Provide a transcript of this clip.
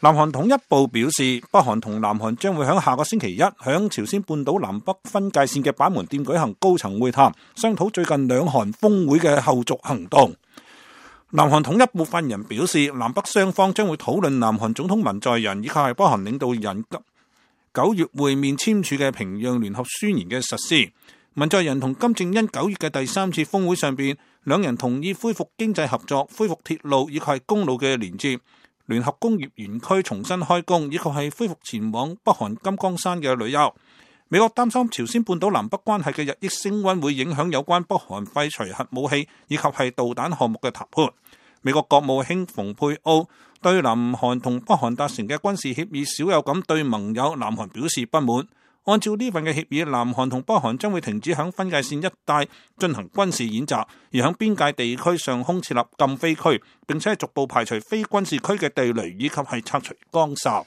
南韓統一部表示，北韓同南韓將會喺下個星期一響朝鮮半島南北分界線嘅板門店舉行高層會談，商討最近兩韓峰會嘅後續行動。南韓統一部發言人表示，南北雙方將會討論南韓總統文在寅以及係北韓領導人9月會面簽署嘅平壤聯合宣言嘅實施。文在寅同金正恩9月嘅第3次峰會上邊，兩人同意恢復經濟合作、恢復鐵路以及係公路嘅連接。聯合工業園區重新開工，以及係恢復前往北韓金剛山嘅旅遊。美國擔心朝鮮半島南北關係嘅日益升溫會影響有關北韓廢除核武器以及係導彈項目嘅談判。美國國務卿蓬佩奧對南韓同北韓達成嘅軍事協議少有咁對盟友南韓表示不滿。按照呢份嘅協議，南韓同北韓將會停止響分界線一帶進行軍事演習，而響邊界地區上空設立禁飛區，並且逐步排除非軍事區嘅地雷以及係拆除崗哨。